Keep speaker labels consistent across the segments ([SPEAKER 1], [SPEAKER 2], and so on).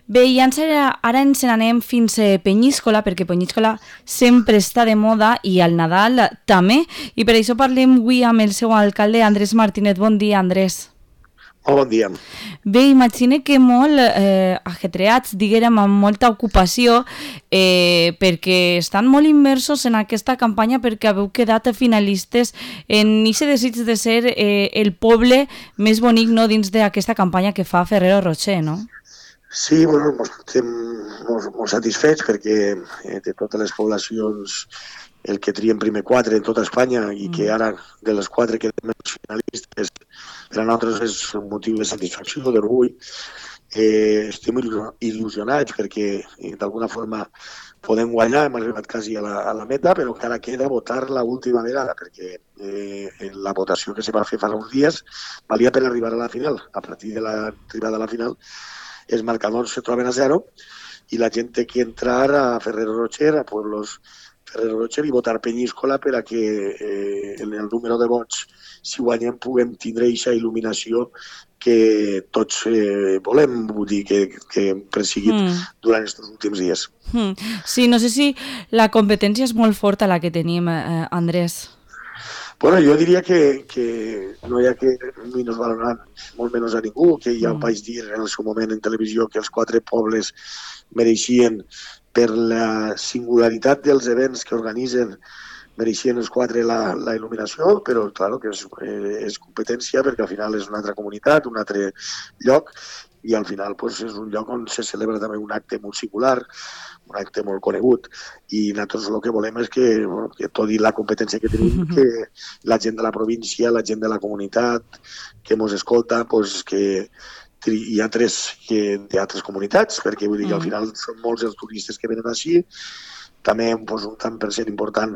[SPEAKER 1] Bé, i ara ens n'anem fins a Penyíscola, perquè Penyíscola sempre està de moda i al Nadal també, i per això parlem avui amb el seu alcalde, Andrés Martínez. Bon dia, Andrés.
[SPEAKER 2] Bon dia.
[SPEAKER 1] Bé, imagine que molt ajetreats, diguérem, amb molta ocupació, perquè estan molt immersos en aquesta campanya perquè haveu quedat finalistes en aquest desig de ser el poble més bonic, no, dins d'aquesta campanya que fa Ferrero Rocher, no?
[SPEAKER 2] Sí, bueno, estem molt satisfets perquè de totes les poblacions el que trien primer 4 en tota Espanya i que ara de les 4 quedem els finalistes, per a nosaltres és un motiu de satisfacció, d'orgull. Estem il·lusionats perquè d'alguna forma podem guanyar, hem arribat quasi a la meta, però encara queda votar l'última vegada perquè la votació que se va fer fa uns dies valia per arribar a la final. A partir de l'arribada a la final els marcadors se troben a 0 i la gent té que entrar a Ferrero Rocher, a pueblos Ferrero Rocher i votar Penyíscola per a que en el número de vots, si guanyem, puguem tindre aquesta il·luminació que tots volem, vull dir, que hem perseguit durant aquests últims dies.
[SPEAKER 1] Sí, no sé si la competència és molt forta la que tenim, Andrés.
[SPEAKER 2] Bueno, jo diria que no hi ha que minusvalorar molt menys a ningú, que ja ho vaig dir en el seu moment en televisió que els 4 pobles mereixien, per la singularitat dels events que organitzen, mereixien els 4 la il·luminació, però clar que és competència perquè al final és una altra comunitat, un altre lloc, i al final pues, és un lloc on se celebra també un acte molt singular, un acte molt conegut, i nosaltres el que volem és que tot i la competència que tenim, que la gent de la província, la gent de la comunitat que ens escolta, pues, que hi ha 3 d'altres comunitats, perquè vull dir que al final són molts els turistes que venen així, també pues, un tant per cent important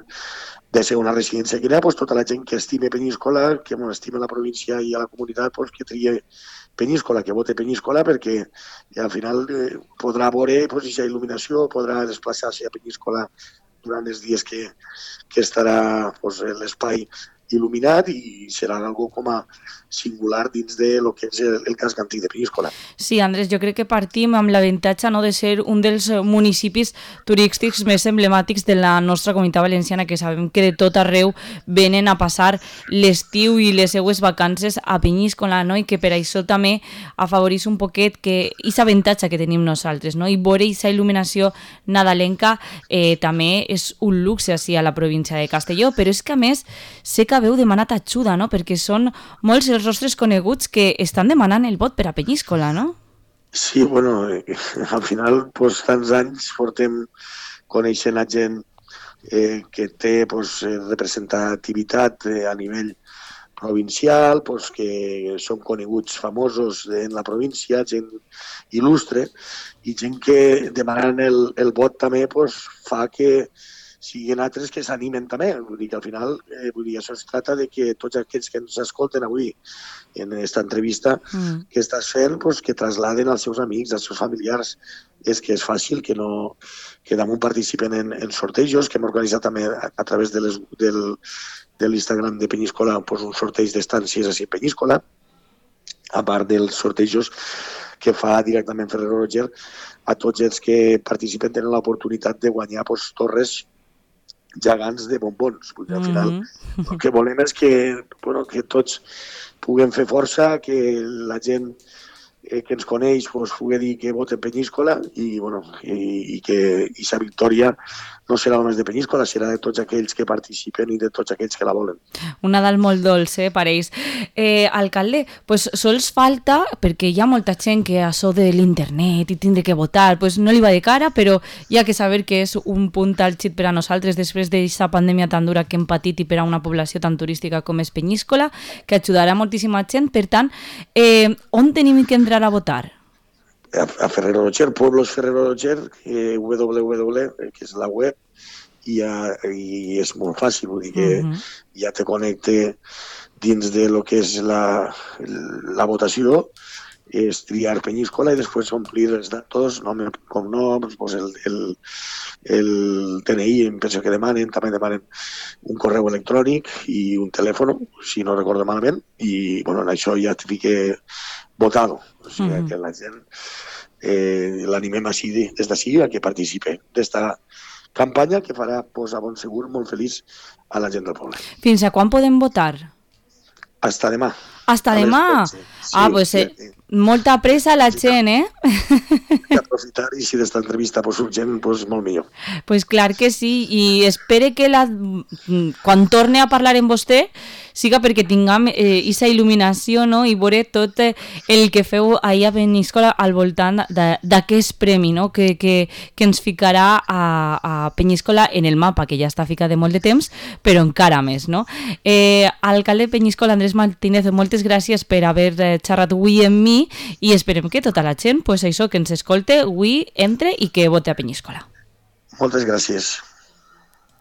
[SPEAKER 2] de ser una residència que hi ha, pues, tota la gent que estime Penyíscola, que estima la província i a la comunitat, pues, que trie Penyíscola, que vote Penyíscola, perquè al final podrà veure pues, aquesta il·luminació, podrà desplaçar-se a Penyíscola durant els dies que estarà pues, l'espai il·luminat i serà algo com a singular dins de lo que és el casc antic de Penyíscola.
[SPEAKER 1] Sí, Andrés, jo crec que partim amb l'avantatge, no, de ser un dels municipis turístics més emblemàtics de la nostra comunitat valenciana, que sabem que de tot arreu venen a passar l'estiu i les seues vacances a Penyíscola, no? I que per això també afavoreix un poquet que aquest avantatge que tenim nosaltres, no? I veure aquesta il·luminació nadalenca també és un luxe així a la província de Castelló, però és que a més sé que haveu demanat ajuda, no? Perquè són molts els rostres coneguts que estan demanant el vot per a Penyíscola, no?
[SPEAKER 2] Sí, bueno, al final, pues, tants anys portem coneixent a gent que té pues, representativitat a nivell provincial, pues, que són coneguts famosos en la província, gent il·lustre, i gent que demanant el vot també pues, fa que siguin altres que s'animen també. Vull dir que al final això es tracta de que tots aquests que ens escolten avui en aquesta entrevista que estàs fent, pues, que trasladen als seus amics, als seus familiars. És que és fàcil que damunt participen en sortejos, que hem organitzat també a través de l'Instagram de Penyíscola pues, un sorteig d'estàncies a Penyíscola, a part dels sortejos que fa directament Ferrero Rocher. A tots els que participen tenen l'oportunitat de guanyar pues, torres gegants de bombons. Al final el que volem és que tots puguem fer força, que la gent que ens coneix pues, pugui dir que voten Penyíscola i que aquesta victòria no serà només de Penyíscola, serà de tots aquells que participen i de tots aquells que la volen.
[SPEAKER 1] Un Nadal molt dolç, pareix. Alcalde, pues sols falta, perquè hi ha molta gent que això de l'internet i tindre que votar, pues no li va de cara, però hi ha que saber que és un punt àlgid per a nosaltres després d'aquesta pandèmia tan dura que hem patit i per a una població tan turística com és Penyíscola, que ajudarà moltíssima gent. Per tant, on tenim que entrar a votar?
[SPEAKER 2] A Ferrero Rocher, Pueblos Ferrero Rocher, www, que és la web, i és molt fàcil, vull dir que ja te connecte dins de lo que és la votació, és triar Penyíscola i després omplir els datos, nom i cognoms, pues el DNI, em penso que demanen, també demanen un correu electrònic i un telèfon, si no recordo malament, i en això ja et fique votado. O sigui, que la gent l'animem així, des d'ací a que participe d'esta campanya que farà a bon segur molt feliç a la gent del poble.
[SPEAKER 1] Fins a quan podem votar?
[SPEAKER 2] Hasta demà.
[SPEAKER 1] Hasta demà? Sí, pues molta pressa la gent,
[SPEAKER 2] I aprofitar, i si d'esta entrevista surt gent, molt millor.
[SPEAKER 1] Pues clar que sí, i espere que quan torni a parlar amb vostè siga perquè tinguem aquesta il·luminació, no? I veure tot el que feu ahir a Penyíscola al voltant d'aquest premi, no? que ens ficarà a Penyíscola en el mapa, que ja està ficat de molt de temps, però encara més, no? Alcalde de Penyíscola, Andrés Martínez, moltes gràcies per haver xerrat avui amb mi i esperem que tota la gent, pues això, que ens escolte avui, entre i que vote a Penyíscola.
[SPEAKER 2] Moltes gràcies.